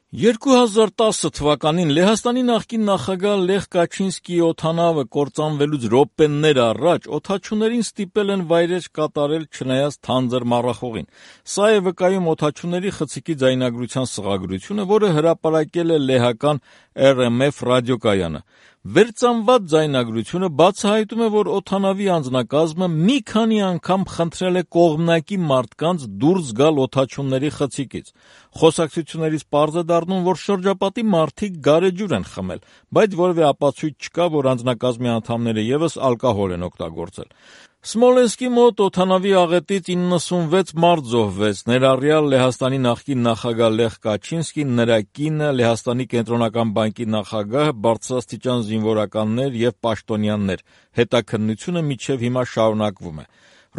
2010 թվականին Լեհաստանի նախկին նախագահ Լեխ Կաչինսկիի օդանավը կործանվելուց րոպեներ առաջ օդաչուներին ստիպել են վայրէջք կատարել չնայած թանձր մառախուղին։ Սա է վկայում օդաչուների խցիկի ձայնագրության սղագրությունը, որը հրապարակել է լեհական RMF ռադիոկայանը։ Վերծանված ձայնագրությունը բացահայտում է, որ օդանավի անձնակազմը մի քանի անգամ խնդրել է կողմնակի մարդկանց դուրս գալ օդաչուների խցիկից։ Խոսակցություններից պարզ է դառնում, որ շրջապատի մարդիկ գարեջուր են խմել, բայց որևէ ապացույց չկա, որ անձնակազմի անդամները ևս ալկոհոլ են օգտագործել։ Սմոլենսկի մոտ օդանավի աղետից 96 մարդ զոհվեց, ներառյալ Լեհաստանի նախկին նախագահ Լեխ Կաչինսկին, նրա կինը, Լեհաստանի կենտրոնական բանկի նախագահը, բարձրաստիճան զինվորականներ և պաշտոնյաներ։ Հետաքննությունը մինչև հիմա շարունակվում է։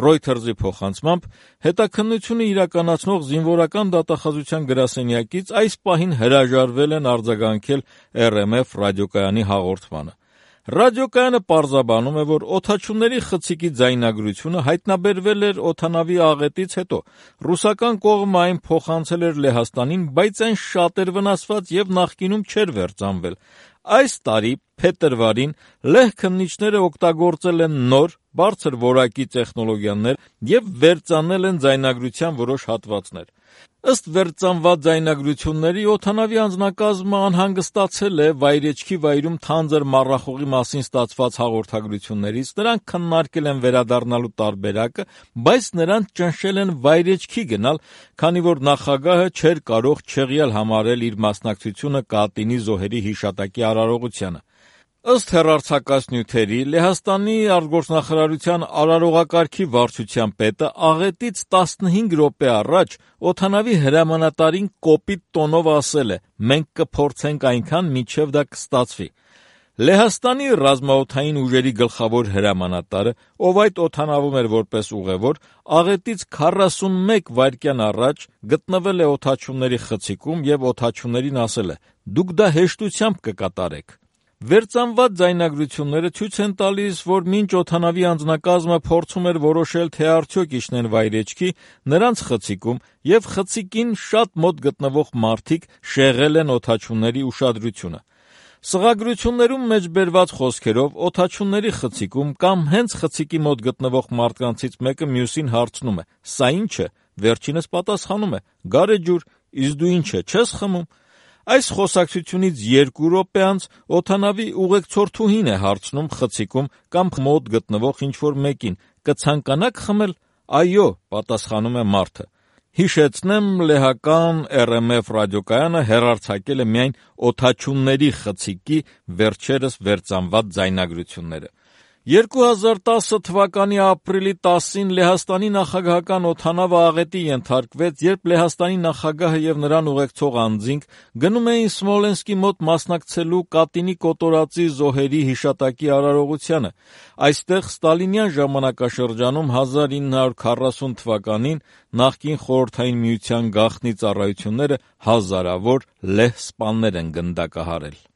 Reuters-ի փոխանցմամբ, հետաքննությունը իրականացնող զինվորական դատախազության գրասենյակից այս պահին հրաժարվել են արձագանքել RMF ռադիոկայանի հաղորդմանը։ Ռադիոկայանը պարզաբանում է, որ օդաչուների խցիկի ձայնագրությունը հայտնաբերվել էր օդանավի աղետից հետո։ Ռուսական կողմը այն փոխանցել էր Լեհաստանին, բայց այն շատ էր վնասված և նախկինում չէր վերծանվել։ Այս տարի փետրվարին լեհ քննիչները օգտագործել են նոր, բարձր որակի տեխնոլոգիաներ և վերծանել են ձայնագրության որոշ հատվածներ։ Ըստ վերծանված ձայնագրությունների, օդանավի անձնակազմը անհանգստացել է վայրեջքի վայրում թանձր մառախուղի մասին ստացված հաղորդագրություններից, նրանք քննարկել են վերադառնալու տարբերակը, բայց նրանց ճնշել են վայրեջքի գնալ, քանի որ նախագահը չէր կարող չեղյալ համարել իր մասնակցությունը Կատինի զոհերի հիշատակի արարողությանը։ Ըստ հեռարձակած նյութերի, Լեհաստանի արտգործնախարարության արարողակարգի վարչության պետը աղետից 15 րոպե առաջ օդանավի հրամանատարին կոպիտ տոնով ասել է. «Մենք կփորձենք այնքան, մինչև դա կստացվի»։ Լեհաստանի ռազմաօդային ուժերի գլխավոր հրամանատարը, ով այդ օդանավում էր որպես ուղևոր, աղետից 41 վայրկյան առաջ գտնվել է օդաչուների խցիկում և օդաչուներին ասել է. «Դուք դա հեշտությամբ կկատարեք»։ Վերծանված ձայնագրությունները ցույց են տալիս, որ մինչ օդանավի անձնակազմը փորձում էր որոշել, թե արդյոք իջնեն վայրեջքի, նրանց խցիկում և խցիկին շատ մոտ գտնվող մարդիկ շեղել են օդաչուների ուշադրությունը։ Սղագրություններում մեջբերված խոսքերով, օդաչուների խցիկում կամ հենց խցիկի մոտ գտնվող մարդկանցից մեկը մյուսին հարցնում է. «Սա ի՞նչ է»։ Վերջինս պատասխանում է. «Գարեջուր, իսկ դու ի՞նչ է, չես խմում»։ Այս խոսակցությունից 2 րոպե անց օդանավի ուղեկցորդուհին է հարցնում խցիկում կամ մոտ գտնվող ինչ-որ մեկին. «Կցանկանաք խմել»։ «Այո», պատասխանում է մարդը։ Հիշեցնեմ, լեհական RMF ռադիոկայանը հեռարձակել է միայն օդաչուների խցիկի վերջերս վերծանված ձայնագրությունները։ 2010 թվականի ապրիլի 10-ին Լեհաստանի նախագահական օդանավը աղետի ենթարկվեց, երբ Լեհաստանի նախագահը և նրան ուղեկցող անձինք գնում էին Սմոլենսկի մոտ մասնակցելու Կատինի կոտորածի զոհերի հիշատակի արարողությանը։ Այստեղ ստալինյան ժամանակաշրջանում 1940 թվականին նախկին Խորհրդային Միության գաղտնի ծառայությունները հազարավոր լեհ սպաներ են գնդակահարել։